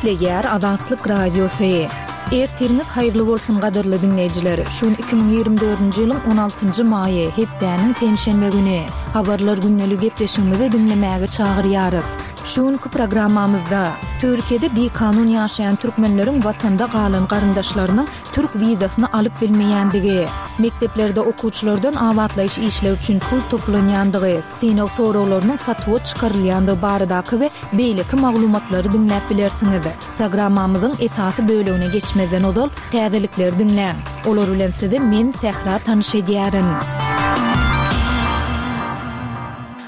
Gepleýär Azatlyk Radiosy. Ertiriňiz haýyrly bolsun gadyrly diňleýjiler. Şu gün 2024-nji ýylyň 16-njy maýy, hepdäniň penşenbe güni. Habarlar gündeli gepleşigimizi diňlemäge çagyrýarys. Şu günki programmamyzda, Türkiýede bikanun ýaşaýan türkmenleriň watanda galan garyndaşlarynyň türk wizasyny alyp bilmeýändigi, mekdeplerde okuwçylardan abatlaýyş işleri üçin pul toplanýandygy, synag soraglarynyň satuwa çykarylýandygy baradaky we beýleki maglumatlary diňläp bilersiňiz. Programmamyzyň esasy bölegine geçmezden ozal, täzelikleri diňläň. Olar bilen sizi men, Sähra tanyş edýärin.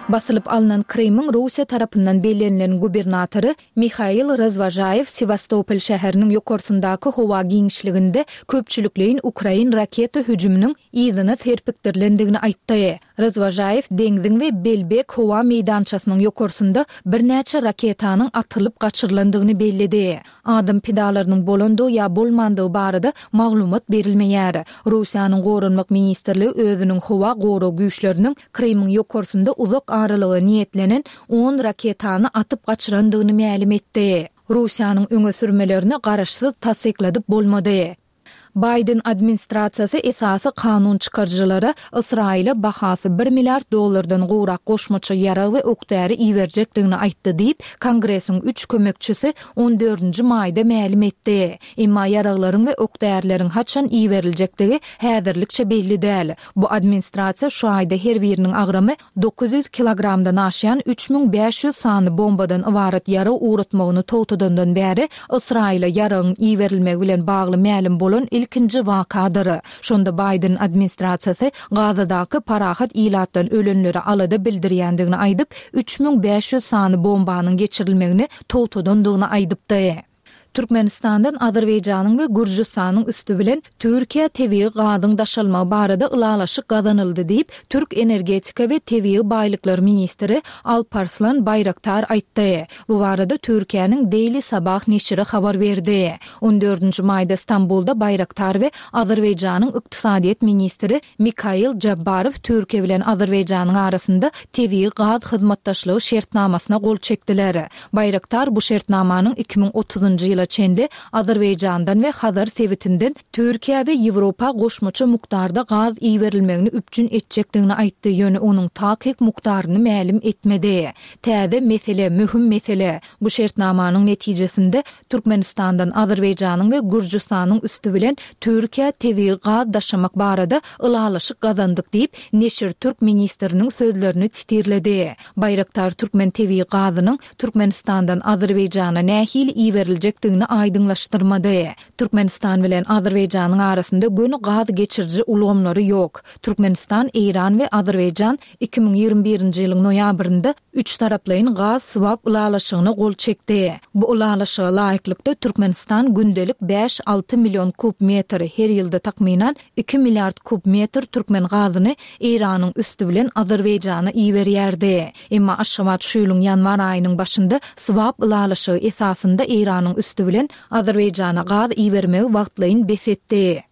Basylyp alnan Krymyň Russiýa tarapyndan bellenilen gubernatory Mihail Razwožaýew Sewastopol şäheriniň ýokarsyndaky howa giňişliginde köpçülikleýin ukrain raketa hüjüminiň yzyna serpikdirilendigini aýtdy. Razwožaýew deňziň we Belbek howa meýdançasynyň ýokarsynda birnäçe raketanyň atylyp gaçyrylandygyny belledi. Adam pidalarynyň bolandygy ýa bolmandygy barada maglumat berilmeýär. Russiýanyň Goranmak ministrligi özüniň howa gorag güýçleriniň Krymyň ýokarsynda uzak aralyga niýetlenen on raketany atyp gaçyrandygyny mälim etdi. Russiýanyň öňe sürmelerini garaşsyz tassykladyp bolmady. Baýden administrasiýasy esasy kanun çykaryjylara Ysraýyla bahasy bir milliard dollardan gowrak goşmaça ýarag we ok-däri iberjekdigini aýtdy diýip, Kongresiň üç kömekçisi on dördünji maýda mälim etdi. Emma ýaraglaryň we ok-därileriň haçan iberiljekdigi häzirlikçe belli däl. Bu administrasiýa şu aýda her biriniň agramy 900 kilogramdan aşýan 3500 sany bombadan ybarat ýarag ugratmagyny togtadandan bäri Ysraýyla ýaragyň iberilmegi bilen bagly mälim bolan ilkinji wakadyr. Şonda Baýden administrasiýasy Gazadaky parahat ilatdan ölenlere alada bildirýändigini aýdyp, 3500 sany bombanyň geçirilmegini togtadandygyny aýdypdy. Türkmenistandan Azerbaýjanyň we Gürjüstanyň üsti bilen Türkiýä tebigy gazyň daşalmagy barada ylalaşyk gazanyldy diýip, türk energetika we tebigy baýlyklar ministri Alparslan Baýraktar aýtdy. Bu barada Türkiýäniň Daily Sabah neşiri habar berdi. On dördünji maýda Stambulda Baýraktar we Azerbaýjanyň ykdysadyýet ministri Mikail Jabbarow Türkiýe bilen Azerbaýjanyň arasynda tebigy gaz hyzmatdaşlygy şertnamasyna gol çekdiler. Baýraktar bu şertnamanyň 2030-njy ýyla çenli Azerbaýjandan we Hazar sebitinden Türkiýä we Ýewropa goşmaça mukdarda gaz iberilmegini üpjün etjekdigini aýtdy, ýöne onuň takyk mukdaryny mälim etmedi. Täze mesele, möhüm mesele. Bu şertnamanyň netijesinde Türkmenistandan Azerbaýjanyň we Gürjüstanyň üsti bilen Türkiýä tebigy gaz daşamak barada ylalaşyk gazandyk diýip, neşir türk ministriniň sözlerini sitirledi. Baýraktar türkmen tebigy gazynyň Türkmenistandan Azerbaýjana nähili iberiljekdigini aýdyňlaşdyrmady. Türkmenistan bilen Azerbaýjanyň arasynda göni gaz geçiriji ulgamlary ýok. Türkmenistan, Eýran we Azerbaýjan 2021-nji ýylyň noýabrynda üçtaraplaýyn gaz swap ylalaşygyna gol çekdi. Bu ylalaşyga laýyklykda, Türkmenistan gündelik bäş-alty million kub metr, her ýylda takmynan iki milliard kub metr türkmen gazyny Eýranyň üsti bilen Azerbaýjana iberýärdi. Emma Aşgabat şu ýylyň ýanwar aýynyň başynda swap ylalaşygy esasynda Eýranyň üsti bilen Azerbaýjana gaz ibermegi wagtlaýyn bes etdi.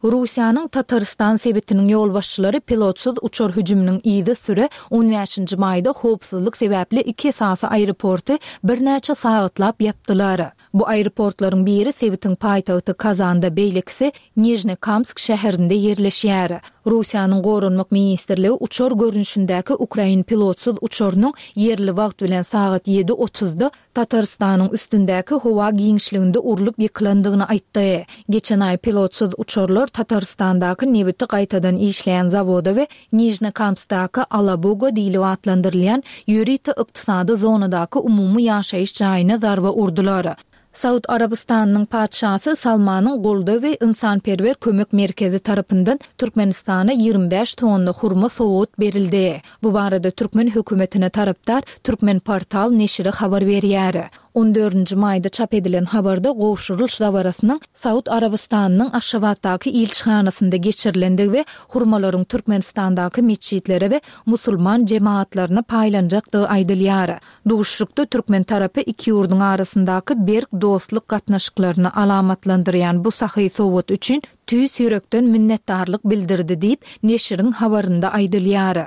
Russiýanyň Tatarystan sebitiniň ýolbaşçylary pilotsyz uçar hüjüminiň yzysüre on bäşinji maýda howpsuzlyk sebäpli iki esasy aeroporty birnäçe sagatlap ýapdylar. Bu aeroportlaryň biri sebitiň paýtagty Kazanda, beýlekisi Nižnekamsk şäherinde ýerleşýär. Russiýanyň Goranmak ministrligi uçar görnüşindäki ukrain pilotsyz uçarynyň ýerli wagt bilen sagat ýedi otuzda Tatarystanyň üstündäki howa giňişliginde urlup ýykylandygyny aýtdy. Geçen aý pilotsyz uçarlar Tatarystandaky nebiti gaýtadan işleýän zawoda we Nižnekamskdaky Alabuga diýlip atlandyrylýan ýörite ykdysady zonadaky umumy ýaşaýyş jaýyna zarba urdular. Saud Arabystanynyň Patyşasy Salmanyň goldaw we ynsanperwer kömek merkezi tarapyndan Türkmenistana 25 tonna hurma sowgat berildi. Bu barada türkmen hökümetine tarapdar Türkmenportal neşiri habar berýär. On dördünji maýda çap edilen habarda gowşurylyş dabarasynyň Saud Arabystanynyň Aşgabatdaky ilçihanasynda geçirilendigi we hurmalaryň Türkmenistandaky metjitlere we musulman jemagatlaryna paýlanjakdygy aýdylýar. Duşuşykda türkmen tarapy iki ýurduň arasyndaky berk dostluk gatnaşyklaryny alamatlandyrýan bu sahy sowgat üçin tüýs ýürekden minnetdarlyk bildirdi diýip, neşiriň habarynda aýdylýar.